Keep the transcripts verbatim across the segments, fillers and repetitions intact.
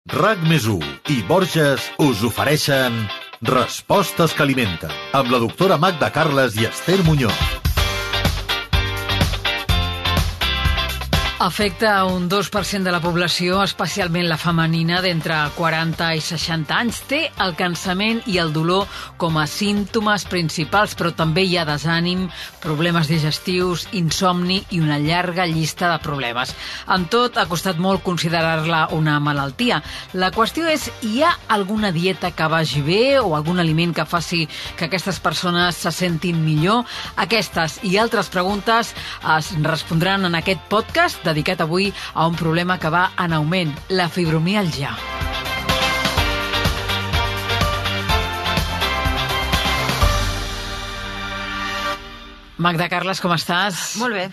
RAC més u i Borges us ofereixen Respostes que alimenten, amb la doctora Magda Carles i Esther Muñoz. Afecta un dos per cent de la població, especialment la femenina d'entre quaranta i seixanta anys. Té el cansament i el dolor com a símptomes principals, però també hi ha desànim, problemes digestius, insomni i una llarga llista de problemes. Amb tot, ha costat molt considerar-la una malaltia. La qüestió és, hi ha alguna dieta que vagi bé o algun aliment que faci que aquestes persones se sentin millor? Aquestes i altres preguntes es respondran en aquest podcast dedicat avui a un problema que va en augment, la fibromiàlgia. Magda Carles, com estàs? Molt bé.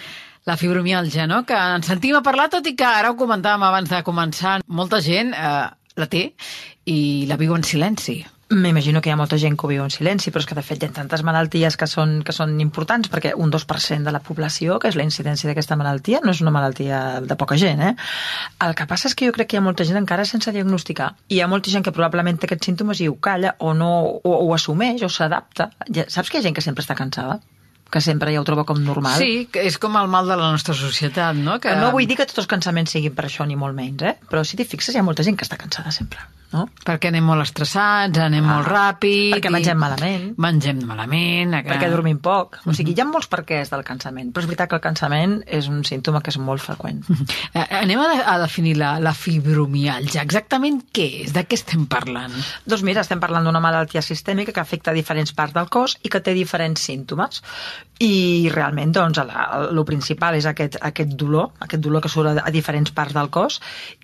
La fibromiàlgia, no?, que ens sentim a parlar, tot i que ara ho comentàvem abans de començar. Molta gent eh, la té i la viu en silenci. M'imagino que hi ha molta gent que ho viu en silenci, però és que de fet hi ha tantes malalties que són, que són importants, perquè un dos per cent de la població, que és la incidència d'aquesta malaltia, no és una malaltia de poca gent, eh? El que passa és que jo crec que hi ha molta gent encara sense diagnosticar. Hi ha molta gent que probablement té aquests símptomes i ho calla o no o, o assumeix o s'adapta. Ja, saps que hi ha gent que sempre està cansada? Que sempre ja ho troba com normal. Sí, que és com el mal de la nostra societat, no? Que... No vull dir que tots els cansaments siguin per això, ni molt menys, eh? Però si t'hi fixes, hi ha molta gent que està cansada sempre, no? Perquè anem molt estressats, anem ah, molt ràpid... Perquè mengem malament. Mengem malament... Que... Perquè dormim poc. O sigui, hi ha molts perquès del cansament, però és veritat que el cansament és un símptoma que és molt freqüent. Anem a, de, a definir la, la fibromiàlgia. Exactament què és? De què estem parlant? Doncs mira, estem parlant d'una malaltia sistèmica que afecta diferents parts del cos i que té diferents símptomes. I realment, doncs, el principal és aquest, aquest dolor, aquest dolor que surt a, a diferents parts del cos,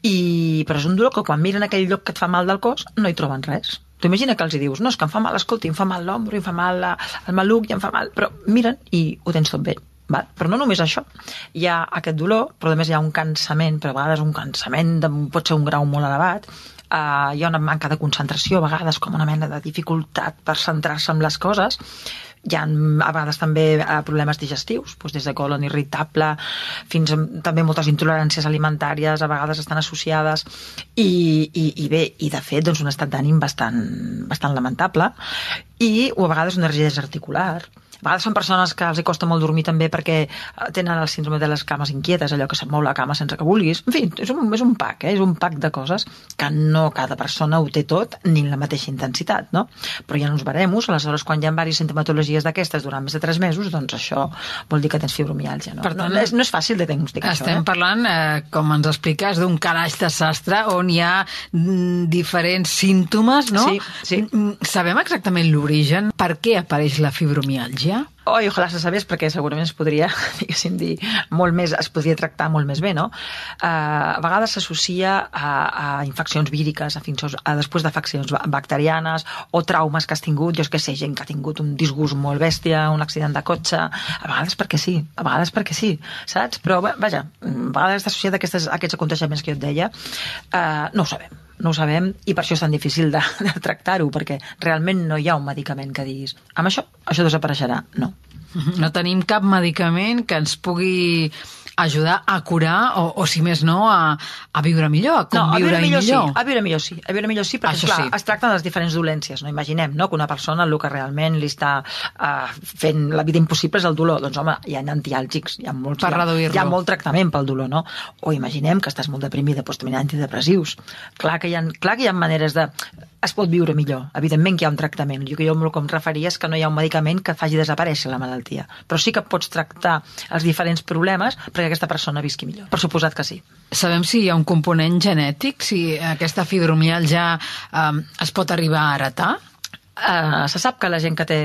i, però és un dolor que quan miren aquell lloc que et fa mal del cos no hi troben res. Tu imagina que els hi dius, no, és que em fa mal, escolta, em fa mal l'ombro, em fa mal la, el maluc, i em fa mal... Però miren i ho tens tot bé. Val? Però no només això. Hi ha aquest dolor, però a més hi ha un cansament, però a vegades un cansament de, pot ser un grau molt elevat. Uh, hi ha una manca de concentració, a vegades com una mena de dificultat per centrar-se en les coses. Hi ha a vegades també problemes digestius, doncs des de colon irritable fins a també moltes intoleràncies alimentàries, a vegades estan associades, i, i, i bé, i de fet doncs un estat d'ànim bastant, bastant lamentable, i o a vegades una rigidesa articular. A vegades són persones que els hi costa molt dormir també perquè tenen el síndrome de les cames inquietes, allò que se't mou la cama sense que vulguis. En fi, és un, és un pack, eh? És un pack de coses que no cada persona ho té tot ni en la mateixa intensitat, no? Però hi ha uns baremos, aleshores quan hi ha diverses sintomatologies d'aquestes durant més de tres mesos, doncs això vol dir que tens fibromiàlgia, no? Per tant, no, és, no és fàcil de diagnosticar estem això, eh? parlant, eh, com ens expliques, d'un calaix de sastre on hi ha mm, diferents símptomes, no? Sí, sí. Sabem exactament l'origen? Per què apareix la fibromiàlgia? Oh, i ojalà se sabés, perquè segurament es podria, diguéssim, dir molt més, es podria tractar molt més bé, no? Uh, a vegades s'associa a, a infeccions víriques, a, fins, a després d'afeccions bacterianes o traumes que has tingut, jo és que sé, gent que ha tingut un disgust molt bèstia, un accident de cotxe, a vegades perquè sí, a vegades perquè sí, saps? Però, vaja, a vegades està associat a, aquestes, a aquests aconteixements que jo et deia, uh, no ho sabem. No ho sabem, i per això és tan difícil de, de tractar-ho, perquè realment no hi ha un medicament que diguis amb això, això desapareixerà. No. No tenim cap medicament que ens pugui ajudar a curar o, o si més no, a, a viure millor, a com no, a viure, viure millor. millor. Sí, a viure millor sí, a viure millor sí, perquè clar, sí. Es tracten de les diferents dolències, no? Imaginem, no?, que una persona el que realment li està uh, fent la vida impossible és el dolor, doncs home, hi ha antiàlgics, hi ha, molts, per reduir-lo. Hi ha molt tractament pel dolor, no? O imaginem que estàs molt deprimida, doncs també hi ha antidepressius. Clar que hi ha, clar que hi ha maneres de... Es pot viure millor, evidentment que hi ha un tractament. Jo que jo el que em referia és que no hi ha un medicament que faci desaparèixer la malaltia, però sí que pots tractar els diferents problemes perquè aquesta persona visqui millor. Per suposat que sí. Sabem si hi ha un component genètic, si aquesta fibromiàlgia eh, es pot arribar a heretar? Uh, se sap que la gent que té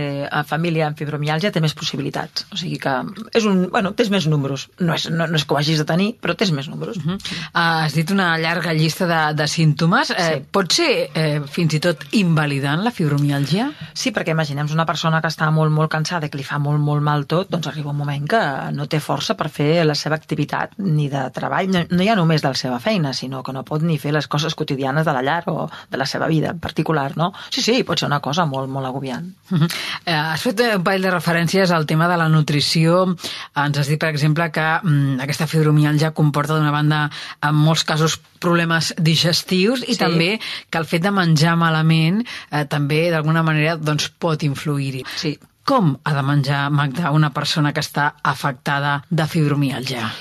família amb fibromiàlgia té més possibilitats, o sigui que és un, bueno, tens més números, no és, no, no és que ho hagis de tenir, però tens més números. Uh-huh. uh, Has dit una llarga llista de, de símptomes, eh, sí. Pot ser eh, fins i tot invalidant la fibromiàlgia? Sí, perquè imaginem una persona que està molt molt cansada i que li fa molt molt mal tot, doncs arriba un moment que no té força per fer la seva activitat ni de treball, no, no ja només de la seva feina, sinó que no pot ni fer les coses quotidianes de la llar o de la seva vida en particular, no? Sí, sí, pot ser una cosa cosa molt, molt agobiant. Uh-huh. Eh, has fet un parell de referències al tema de la nutrició. Ens has dit, per exemple, que mm, aquesta fibromiàlgia comporta, d'una banda, en molts casos, problemes digestius i Sí. també que el fet de menjar malament eh, també, d'alguna manera, doncs, pot influir-hi. Sí. Com ha de menjar, Magda, una persona que està afectada de fibromiàlgia?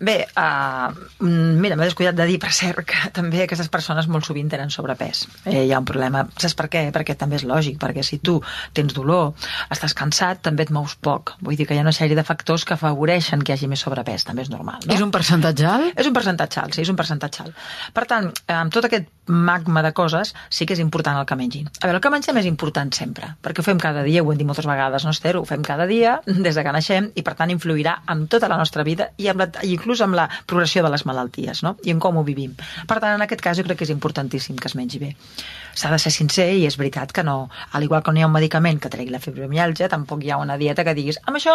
Bé, uh, mira, m'he descuidat de dir, per cert, que també aquestes persones molt sovint tenen sobrepès. Eh, hi ha un problema. Saps per què? Perquè també és lògic, perquè si tu tens dolor, estàs cansat, també et mous poc. Vull dir que hi ha una sèrie de factors que afavoreixen que hi hagi més sobrepès, també és normal, no? És un percentatge alt? És un percentatge alt, sí, és un percentatge alt. Per tant, amb tot aquest magma de coses, sí que és important el que mengin. A veure, el que mengem és important sempre, perquè ho fem cada dia, ho hem dit moltes vegades, no, Esther? Ho fem cada dia, des de que naixem, i per tant influirà en tota la nostra vida i amb la, inclús amb la progressió de les malalties, no? I en com ho vivim. Per tant, en aquest cas jo crec que és importantíssim que es mengi bé. S'ha de ser sincer i és veritat que no, al igual que no hi ha un medicament que tregui la fibromiàlgia, tampoc hi ha una dieta que diguis amb això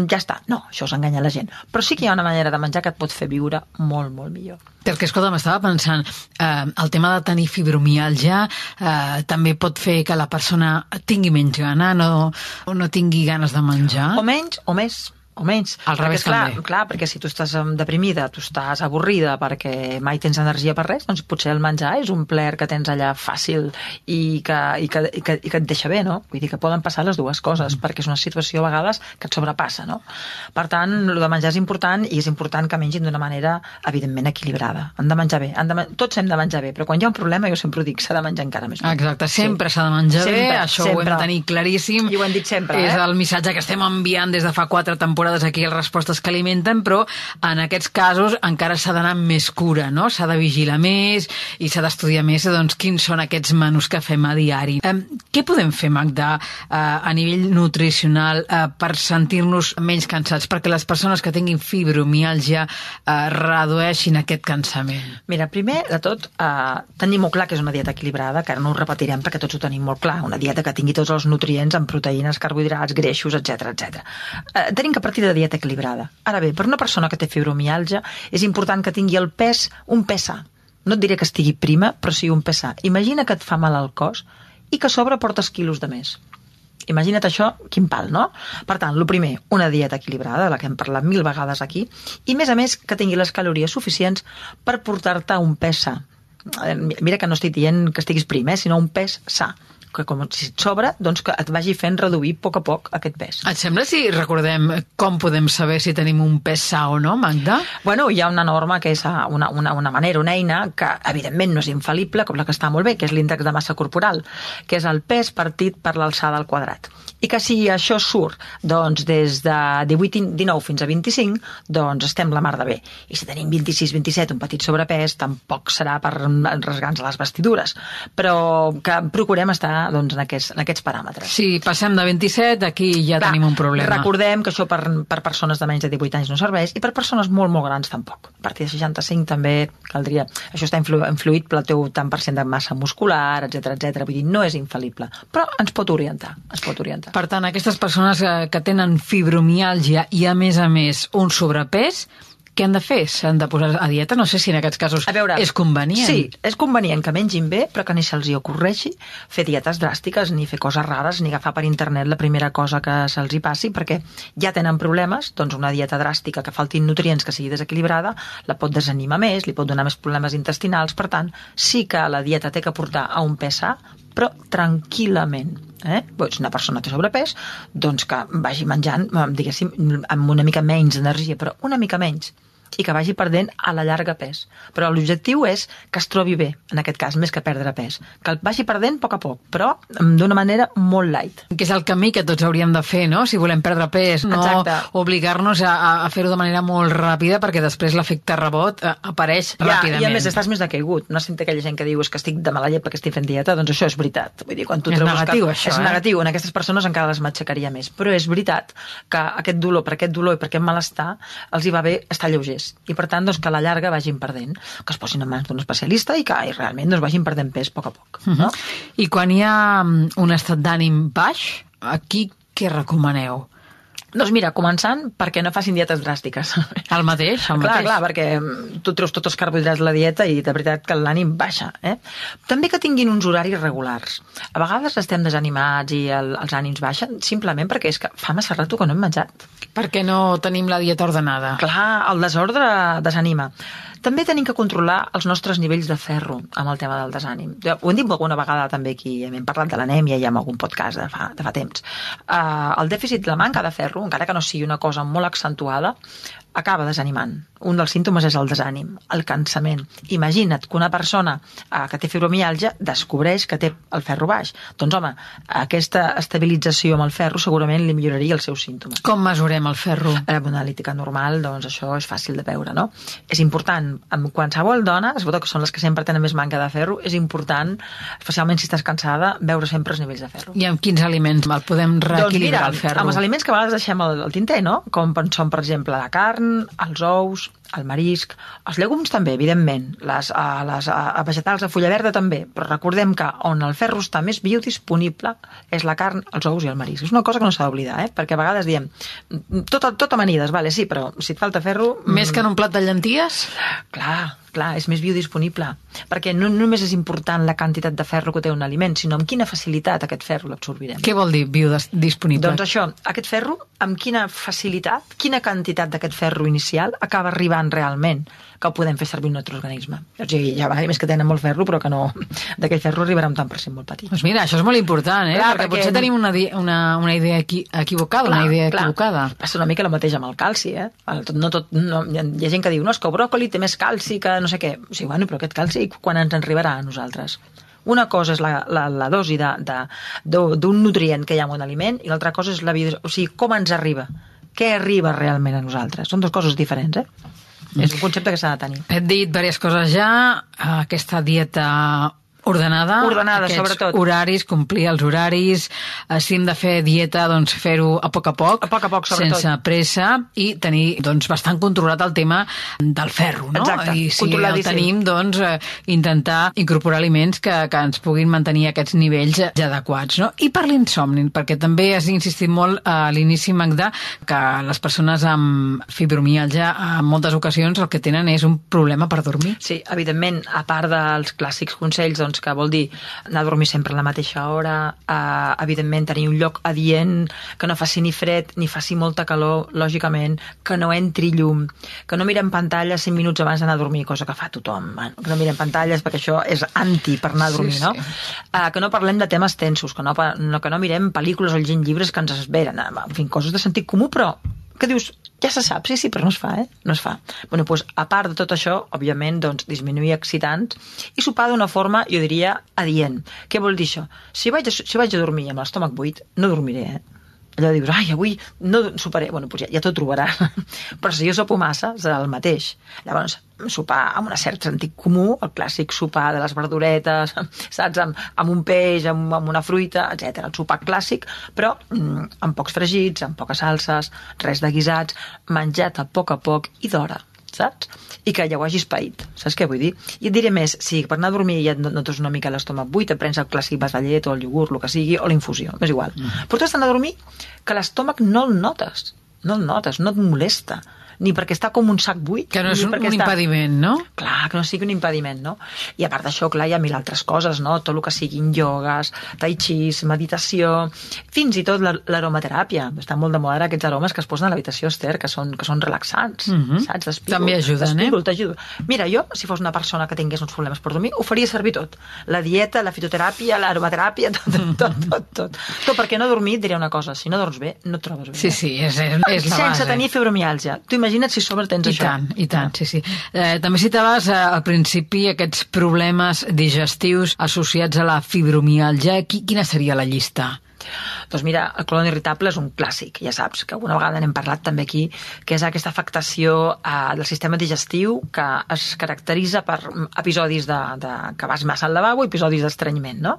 ja està. No, això s'enganya la gent. Però sí que hi ha una manera de menjar que et pot fer viure molt, molt millor. Perquè, escolta, m'estava pensant, eh, el tema de tenir fibromiàlgia eh, també pot fer que la persona tingui menys gana, no, o no tingui ganes de menjar? O menys o més. O menys. Al revés, perquè, clar, també. clar, perquè si tu estàs deprimida, tu estàs avorrida perquè mai tens energia per res, doncs potser el menjar és un plaer que tens allà fàcil i que, i que, i que, i que et deixa bé, no? Vull dir que poden passar les dues coses, mm. perquè és una situació a vegades que et sobrepassa, no? Per tant, el de menjar és important i és important que mengin d'una manera, evidentment, equilibrada. Han de menjar bé. Han de, tots hem de menjar bé, però quan hi ha un problema, jo sempre ho dic, s'ha de menjar encara més bé. Sempre, sempre s'ha sí. de menjar sempre, bé, això sempre. Ho hem de tenir claríssim. I ho hem dit sempre, és eh? el missatge que estem enviant des de fa quatre temporades aquí a Respostes que alimenten, però en aquests casos encara s'ha d'anar amb més cura, no? S'ha de vigilar més i s'ha d'estudiar més doncs, quins són aquests menús que fem a diari. Eh, què podem fer, Magda, eh, a nivell nutricional eh, per sentir-nos menys cansats, perquè les persones que tinguin fibromiàlgia eh, redueixin aquest cansament? Mira, primer de tot, eh, tenim molt clar que és una dieta equilibrada, que ara no ho repetirem perquè tots ho tenim molt clar, una dieta que tingui tots els nutrients en proteïnes, carbohidrats, greixos, etcètera, etcètera. Eh, tenim que partir de dieta equilibrada. Ara bé, per una persona que té fibromiàlgia és important que tingui el pes, un pes sa. No et diré que estigui prima, però sí un pes sa. Imagina que et fa mal al cos i que a sobre portes quilos de més. Imagina't això, quin pal, no? Per tant, el primer, una dieta equilibrada, de la que hem parlat mil vegades aquí, i a més a més que tingui les calories suficients per portar-te un pes sa. Mira que no estic dient que estiguis prim, eh, sinó un pes sa. Que com si et sobra, doncs que et vagi fent reduir a poc a poc aquest pes. Et sembla si recordem com podem saber si tenim un pes sa o no, Magda? Bueno, hi ha una norma que és una, una, una manera, una eina que evidentment no és infal·lible, com la que està molt bé, que és l'índex de massa corporal, que és el pes partit per l'alçada al quadrat. I que si això surt doncs, des de divuit, dinou fins a vint-i-cinc, doncs estem la mar de bé. I si tenim vint-i-sis vint-i-set, un petit sobrepès, tampoc serà per rasgar-nos les vestidures. Però que procurem estar doncs, en, aquests, en aquests paràmetres. Si passem de vint-i-set, aquí ja Clar, tenim un problema. Recordem que això per, per persones de menys de divuit anys no serveix i per persones molt, molt grans tampoc. A partir de seixanta-cinc també caldria... Això està influ, influït pel teu tant per cent de massa muscular, etcètera, etcètera. Vull dir, no és infal·lible, però ens pot orientar. Ens pot orientar. Per tant, aquestes persones que, que tenen fibromiàlgia i, a més a més, un sobrepès, què han de fer? S'han de posar a dieta? No sé si en aquests casos a veure, és convenient. Sí, és convenient que mengin bé, però que ni se'ls hi ocorreixi fer dietes dràstiques, ni fer coses rares, ni agafar per internet la primera cosa que se'ls hi passi, perquè ja tenen problemes, doncs una dieta dràstica que faltin nutrients, que sigui desequilibrada, la pot desanimar més, li pot donar més problemes intestinals, per tant, sí que la dieta té que portar a un pes sa, però tranquil·lament. Eh? Si una persona té sobrepès, doncs que vagi menjant, diguéssim, amb una mica menys d'energia, però una mica menys, i que vagi perdent a la llarga pes. Però l'objectiu és que es trobi bé, en aquest cas, més que perdre pes. Que el vagi perdent a poc a poc, però d'una manera molt light. Que és el camí que tots hauríem de fer, no? Si volem perdre pes, no Exacte. Obligar-nos a, a fer-ho de manera molt ràpida, perquè després l'efecte rebot apareix ja, ràpidament. I a més, estàs més decaigut. No sento aquella gent que diu és que estic de mala llet perquè estic fent dieta, doncs això és veritat. Vull dir, quan tu és negatiu, que... això, és eh? negatiu. En aquestes persones encara les matxacaria més. Però és veritat que aquest dolor, per aquest dolor i per aquest malestar, els hi va bé estar lleugers. I per tant, doncs, que a la llarga vagin perdent, que es posin en mans d'un especialista i que i realment doncs, vagin perdent pes a poc a poc. No? Uh-huh. I quan hi ha un estat d'ànim baix, aquí què recomaneu? Doncs mira, començant perquè no facin dietes dràstiques. El mateix, el clar, mateix. clar, perquè tu treus tots els carbohidrats de la dieta i de veritat que l'ànim baixa. Eh? També que tinguin uns horaris regulars. A vegades estem desanimats i el, els ànims baixen simplement perquè és que fa massa rato que no hem menjat. Perquè no tenim la dieta ordenada. Clar, el desordre desanima. També tenim que controlar els nostres nivells de ferro amb el tema del desànim. Ho hem dit alguna vegada també aquí, hem parlat de l'anèmia i en algun podcast de fa, de fa temps. Uh, el dèficit, la manca de ferro, encara que no sigui una cosa molt accentuada, acaba desanimant. Un dels símptomes és el desànim, el cansament. Imagina't que una persona uh, que té fibromiàlgia descobreix que té el ferro baix. Doncs home, aquesta estabilització amb el ferro segurament li milloraria els seus símptomes. Com mesurem el ferro? A una analítica normal, doncs això és fàcil de veure, no? És important, amb qualsevol dona, sobretot que són les que sempre tenen més manca de ferro, és important, especialment si estàs cansada, veure sempre els nivells de ferro. I amb quins aliments el podem reequilibrar, doncs mira, el ferro? Amb els aliments que a vegades deixem al, al tinter, no? Com són, per exemple, la carn, els ous, el marisc, els llegums també, evidentment, les, a, les a vegetals de fulla verda també, però recordem que on el ferro està més biodisponible és la carn, els ous i el marisc. És una cosa que no s'ha d'oblidar, eh? Perquè a vegades diem tot, tot amanides, vale, sí, però si et falta ferro... Més que en un plat de llenties? Clar, clar, és més biodisponible, perquè no només és important la quantitat de ferro que té un aliment, sinó amb quina facilitat aquest ferro l'absorbirem. Què vol dir biodisponible? Doncs això, aquest ferro, amb quina facilitat, quina quantitat d'aquest ferro inicial acaba arribant realment, que ho podem fer servir un altre organisme. O sigui, hi ha aliments que tenen molt ferro, però que no, d'aquell ferro arribarà un tant per cent molt petit. Doncs mira, això és molt important, eh? Clar, perquè, perquè potser tenim una, una, una idea equi equivocada, clar, una idea clar. equivocada. Passa una mica el mateix amb el calci, eh? No tot, no, hi ha gent que diu, no, és que el bròcoli té més calci que no sé què. O sigui, bueno, però aquest calci quan ens arribarà a nosaltres? Una cosa és la, la, la dosi d'un nutrient que hi ha en un aliment i l'altra cosa és la vida, o sigui, com ens arriba, què arriba realment a nosaltres. Són dues coses diferents, eh? Mm. És un concepte que s'ha de tenir. Hem dit diverses coses ja, aquesta dieta ordenada, ordenada aquests sobretot. horaris, complir els horaris, si hem de fer dieta, doncs fer-ho a poc a poc, a poc, a poc sense pressa, i tenir doncs, bastant controlat el tema del ferro, no? Exacte, I si el tenim, doncs, intentar incorporar aliments que, que ens puguin mantenir aquests nivells ja adequats, no? I per l'insomni, perquè també has insistit molt a l'inici, Magda, que les persones amb fibromiàlgia en moltes ocasions el que tenen és un problema per dormir. Sí, evidentment, a part dels clàssics consells, doncs, que vol dir anar a dormir sempre a la mateixa hora, eh, evidentment tenir un lloc adient, que no faci ni fred ni faci molta calor, lògicament, que no entri llum, que no mirem pantalles cinc minuts abans d'anar a dormir, cosa que fa tothom, bueno, que no mirem pantalles perquè això és anti per anar a dormir, sí, sí. no? Eh, que no parlem de temes tensos, que no, no, que no mirem pel·lícules o llegim llibres que ens esveren, en fi, coses de sentit comú, però que dius, ja se sap, sí, sí, però no es fa, eh? No es fa. Bueno, doncs, a part de tot això, òbviament, doncs, disminuir excitants i sopar d'una forma, jo diria, adient. Què vol dir això? Si vaig a, si vaig a dormir amb l'estómac buit, no dormiré, eh? Allò dius, ai, avui no soparé. Bueno, doncs ja, ja t'ho trobaràs. Però si jo sopo massa, serà el mateix. Llavors, sopar amb un cert sentit comú, el clàssic sopar de les verduretes, saps, amb, amb un peix, amb, amb una fruita, etcètera. El sopar clàssic, però mm, amb pocs fregits, amb poques salses, res de guisats, menjat a poc a poc i d'hora, saps? I que ja ho hagis paït, saps què vull dir? I et diré més, si per anar a dormir ja et notes una mica l'estómac buit, et prens el clàssic vas de llet o el iogurt, el que sigui, o la infusió, és igual. Mm. Però tu has d'anar a dormir que l'estómac no el notes, no el notes, no et molesta, ni perquè està com un sac buit. Que no és un, un està... impediment, no? Clar, que no sigui un impediment, no? I a part d'això, clar, hi ha mil altres coses, no? Tot el que siguin iogues, tai chis, meditació, fins i tot l'aromateràpia. Estan molt de moda aquests aromes que es posen a l'habitació, Esther, que són, que són relaxants, mm-hmm. saps? D'espígol, també ajuden, eh? T'ajudo. Mira, jo, si fos una persona que tingués uns problemes per dormir, ho faria servir tot. La dieta, la fitoteràpia, l'aromateràpia, tot, tot, tot, tot. Tot perquè no dormir, et diré una cosa, si no dors bé, no et trobes bé. Sí, sí, és, és la base. Sense tenir fibromiàlgia. Tu imagina't si sobre tens I això. I tant, i tant, sí, sí. Eh, també citaves eh, al principi aquests problemes digestius associats a la fibromiàlgia. Quina seria la llista? Doncs mira, el colon irritable és un clàssic, ja saps, que alguna vegada n'hem parlat també aquí, que és aquesta afectació eh, del sistema digestiu que es caracteritza per episodis de, de que vas massa al lavabo, episodis d'estrenyiment, no?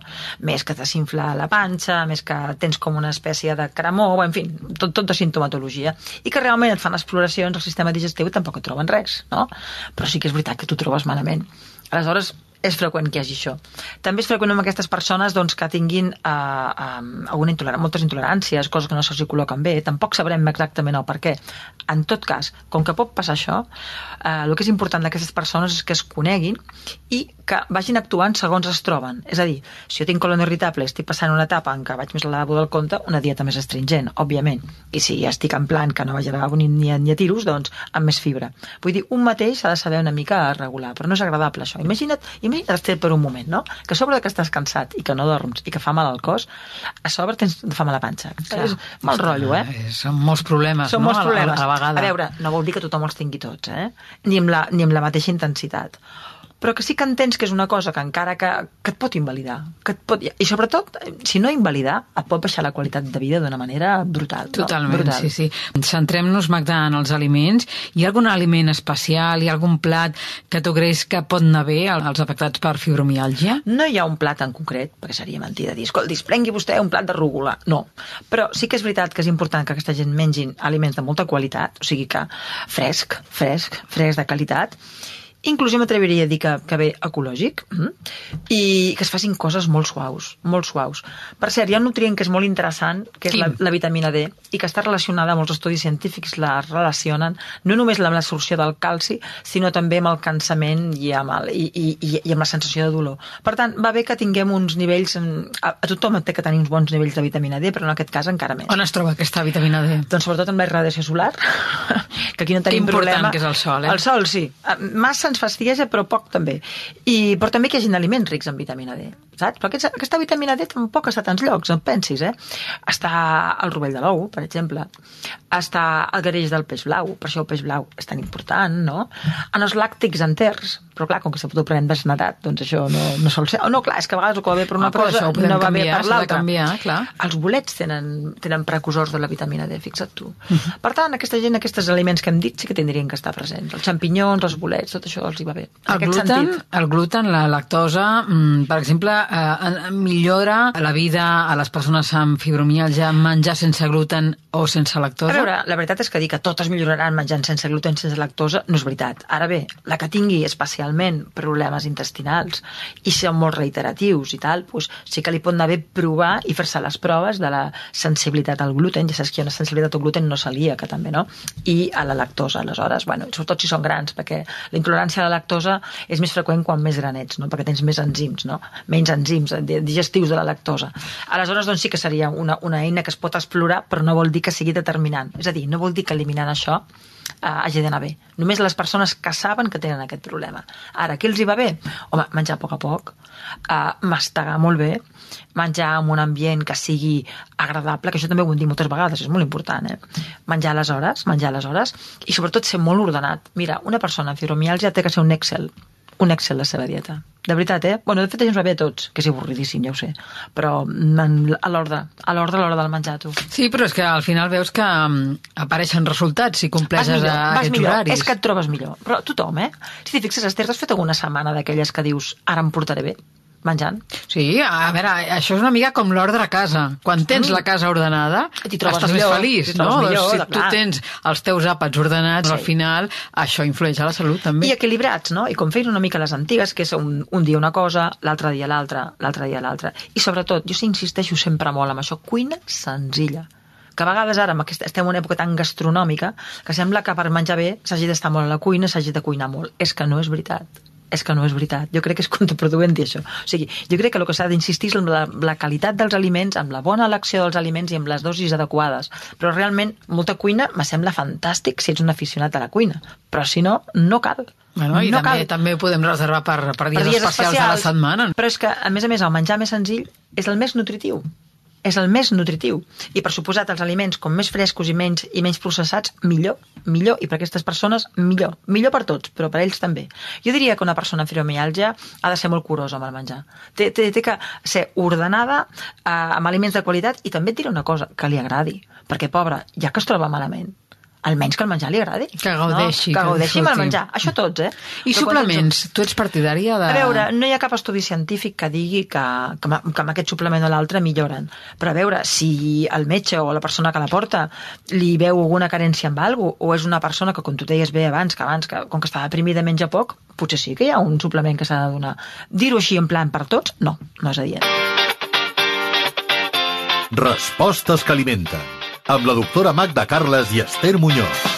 Més que t'infla la panxa, més que tens com una espècie de cremor, en fi, tot, tot de sintomatologia, i que realment et fan exploracions al sistema digestiu i tampoc et troben res, no? Però sí que és veritat que tu trobes malament. Aleshores, és freqüent que hi hagi això. També és freqüent amb aquestes persones doncs, que tinguin eh, eh, alguna intolerància, moltes intoleràncies, coses que no se'ls col·loquen bé, tampoc sabrem exactament el per què. En tot cas, com que pot passar això, eh, el que és important d'aquestes persones és que es coneguin i que vagin actuant segons es troben. És a dir, si jo tinc colon irritable i estic passant una etapa en què vaig més al lavabo del compte, una dieta més astringent, òbviament. I si estic en plan que no vaig al lavabo ni, ni, ni a tiros, doncs amb més fibra. Vull dir, un mateix s'ha de saber una mica regular, però no és agradable això. Imagina't, imagina't estar per un moment, no? Que a sobre que estàs cansat i que no dorms i que fa mal al cos, a sobre tens fa mal a la panxa. Clar, és mal rotllo, eh? Són molts problemes, Són no? molts problemes. A, a la vegada. A veure, no vol dir que tothom els tingui tots, eh? Ni amb la, ni amb la mateixa intensitat. Però que sí que entens que és una cosa que encara que, que et pot invalidar. Que et pot, I sobretot, si no invalidar, et pot baixar la qualitat de vida d'una manera brutal. Totalment, no? Brutal. sí, sí. Centrem-nos, Magda, en els aliments. Hi ha algun aliment especial, hi ha algun plat que tu creus que pot anar bé als afectats per fibromiàlgia? No hi ha un plat en concret, perquè seria mentida dir, escolti, prengui vostè un plat de rúgula. No. Però sí que és veritat que és important que aquesta gent mengin aliments de molta qualitat, o sigui que fresc, fresc, fresc de qualitat, inclús m'atreviria a dir que, que bé ecològic, mm? I que es facin coses molt suaus, molt suaus. Per cert, hi ha un nutrient que és molt interessant, que és la, la vitamina D, i que està relacionada, molts estudis científics la relacionen, no només amb l'absorció del calci, sinó també amb el cansament i amb, el, i, i, i amb la sensació de dolor. Per tant, va bé que tinguem uns nivells, a, a tothom té que tenir uns bons nivells de vitamina D, però en aquest cas encara més. On es troba aquesta vitamina D? Doncs sobretot amb la radiació solar, que aquí no tenim important problema. Que és el sol, eh? El sol, sí. Massa ens fastigueja, però poc també. I, però també que hi hagi aliments rics en vitamina D, saps? Però aquesta, aquesta vitamina D tampoc està a tants llocs, en pensis, eh? Està al rovell de l'ou, per exemple. Està al gareix del peix blau, per això el peix blau és tan important, no? En els làctics enters, però clar, com que s'ha fotut prenent desnatat, doncs això no, no sol ser. Oh, no, clar, és que a vegades el que va bé per una ah, cosa no va canviar, bé per l'altra. Clar. Els bolets tenen, tenen precursors de la vitamina D, fixa't tu. Uh-huh. Per tant, aquesta gent, aquests aliments que hem dit, sí que tindrien que estar presents. Els xampinyons, els bolets, tot això els hi va bé. El gluten, el gluten, la lactosa, per exemple, eh, millora la vida a les persones amb fibromiàlgia menjar sense gluten o sense lactosa? A veure, la veritat és que dir que totes milloraran menjant sense gluten, sense lactosa, no és veritat. Ara bé, la que tingui especialment problemes intestinals i són molt reiteratius i tal, doncs sí que li pot anar bé provar i fer-se les proves de la sensibilitat al gluten. Ja saps que hi ha una sensibilitat al gluten no celíaca també, no? I a la lactosa, aleshores, bueno, sobretot si són grans, perquè la intolerància a la lactosa és més freqüent quan més granets, no? Perquè tens més enzims, no? Menys enzims digestius de la lactosa. Aleshores, doncs sí que seria una, una eina que es pot explorar, però no vol dir que sigui determinant. És a dir, no vol dir que eliminant això eh, hagi d'anar bé. Només les persones que saben que tenen aquest problema. Ara, què els hi va bé? Home, menjar a poc a poc, eh, mastegar molt bé, menjar en un ambient que sigui agradable, que això també ho hem dit moltes vegades, és molt important, eh? Menjar a les hores, menjar a les hores, i sobretot ser molt ordenat. Mira, una persona amb fibromiàlgia té que ser un Excel, un Excel la seva dieta. De veritat, eh? Bueno, de fet, ens va bé a tots, que és avorridíssim, ja ho sé, però en, a l'ordre, a l'ordre, a l'hora del menjar, tu. Sí, però és que al final veus que um, apareixen resultats si compleixes millor, aquests millor, horaris. És que et trobes millor. Però tothom, eh? Si t'hi fixes, Esther, t'has fet alguna setmana d'aquelles que dius, ara em portaré bé, menjant? Sí, a veure, això és una mica com l'ordre a casa. Quan tens mm. la casa ordenada, estàs millor, més feliç, no? Millor, si clar. tu tens els teus àpats ordenats, sí. Al final això influeix a la salut també. I equilibrats, no? I com feien una mica les antigues, que és un, un dia una cosa, l'altre dia l'altra, l'altre dia l'altra. I sobretot, jo insisteixo sempre molt amb això, cuina senzilla. Que a vegades ara estem en una època tan gastronòmica que sembla que per menjar bé s'hagi d'estar molt a la cuina, s'hagi de cuinar molt. És que no és veritat. És que no és veritat. Jo crec que és contraproduent dir això. O sigui, jo crec que el que s'ha d'insistir és en la, la qualitat dels aliments, amb la bona elecció dels aliments i amb les dosis adequades. Però realment, molta cuina me sembla fantàstic si ets un aficionat a la cuina. Però si no, no cal. Bueno, I no també, cal. també ho podem reservar per, per, dies, per dies especials, especials de la setmana. Però és que, a més a més, el menjar més senzill és el més nutritiu. És el més nutritiu. I per suposat, els aliments com més frescos i menys i menys processats, millor, millor. I per aquestes persones, millor. Millor per tots, però per ells també. Jo diria que una persona amb fibromiàlgia ha de ser molt curosa amb el menjar. Té, té, té que ser ordenada, eh, amb aliments de qualitat, i també et diré una cosa, que li agradi. Perquè, pobra, ja que es troba malament, almenys que el menjar li agradi. Que gaudeixi. No? Que gaudeixi amb el disfruti. menjar. Això tots, eh? I Però suplements? Tu ets partidària de... A veure, no hi ha cap estudi científic que digui que, que, amb- que amb aquest suplement o l'altre milloren. Però a veure, si el metge o la persona que la porta li veu alguna carència amb alguna cosa, o és una persona que, com tu deies bé abans, que abans, que, com que està deprimida menja poc, potser sí que hi ha un suplement que s'ha de donar. Dir-ho així en plan per tots, no, no és adient. Respostes que alimenten. Amb la doctora Magda Carles i Esther Muñoz.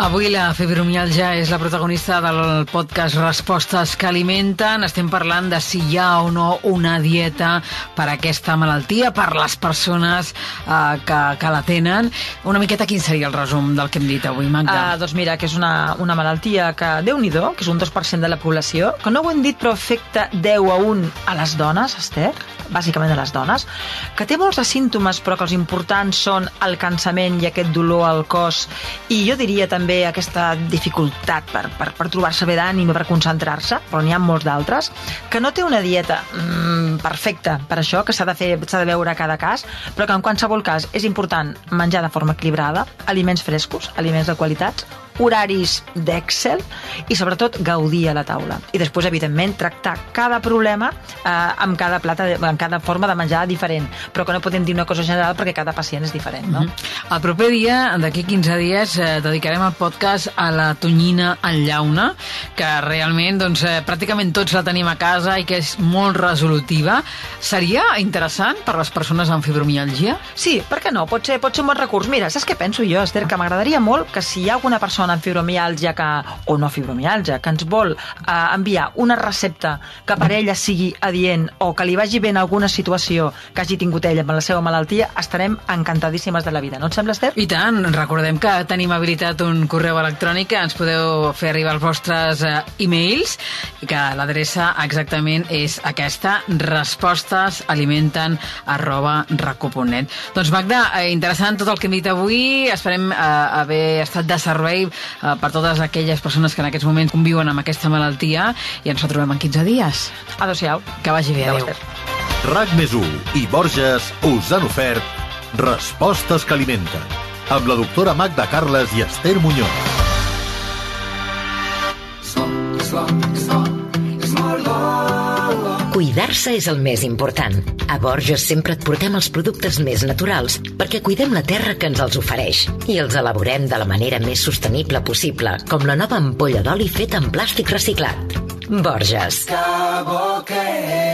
Avui la fibromialgia és la protagonista del podcast Respostes que alimenten. Estem parlant de si hi ha o no una dieta per a aquesta malaltia, per les persones eh, que, que la tenen. Una miqueta, quin seria el resum del que hem dit avui, Magda? Uh, doncs mira, que és una, una malaltia que, Déu-n'hi-do, que és un dos per cent de la població, que no ho hem dit però afecta deu a un a les dones, Esther, bàsicament a les dones, que té molts de símptomes però que els importants són el cansament i aquest dolor al cos, i jo diria també aquesta dificultat per, per, per trobar-se bé d'ànim i per concentrar-se, però n'hi ha molts d'altres, que no té una dieta mm, perfecta per això, que s'ha de fer, s'ha de veure a cada cas, però que en qualsevol cas és important menjar de forma equilibrada, aliments frescos, aliments de qualitat, horaris d'Excel i sobretot gaudir a la taula. I després, evidentment, tractar cada problema eh, amb cada plata, amb cada forma de menjar diferent, però que no podem dir una cosa general perquè cada pacient és diferent, no? El proper dia, d'aquí quinze dies, eh, dedicarem el podcast a la tonyina en llauna, que realment doncs, eh, pràcticament tots la tenim a casa i que és molt resolutiva. Seria interessant per les persones amb fibromialgia? Sí, per què no? Pot ser, pot ser un bon recurs. Mira, saps què penso jo, Esther? Que m'agradaria molt que si hi ha alguna persona amb fibromialgia que, o no fibromialgia, que ens vol eh, enviar una recepta que per ella sigui adient o que li vagi bé en alguna situació que hagi tingut ella amb la seva malaltia, estarem encantadíssimes de la vida. No et sembla, Esther? I tant, recordem que tenim habilitat un correu electrònic que ens podeu fer arribar els vostres eh, e-mails, que l'adreça exactament és aquesta, respostesalimenten arroba raco punt net. Doncs Magda, eh, interessant tot el que hem dit avui, esperem eh, haver estat de servei eh, per totes aquelles persones que en aquests moments conviuen amb aquesta malaltia, i ens retrobem en quinze dies. Adéu-siau. Que vagi bé, Adéu, adéu. Esther. RAC més u i Borges us han ofert Respostes que alimenten, amb la doctora Magda Carles i Esther Muñoz. Cuidar-se és el més important. A Borges sempre et portem els productes més naturals perquè cuidem la terra que ens els ofereix i els elaborem de la manera més sostenible possible, com la nova ampolla d'oli feta en plàstic reciclat. Borges. Que bo que és.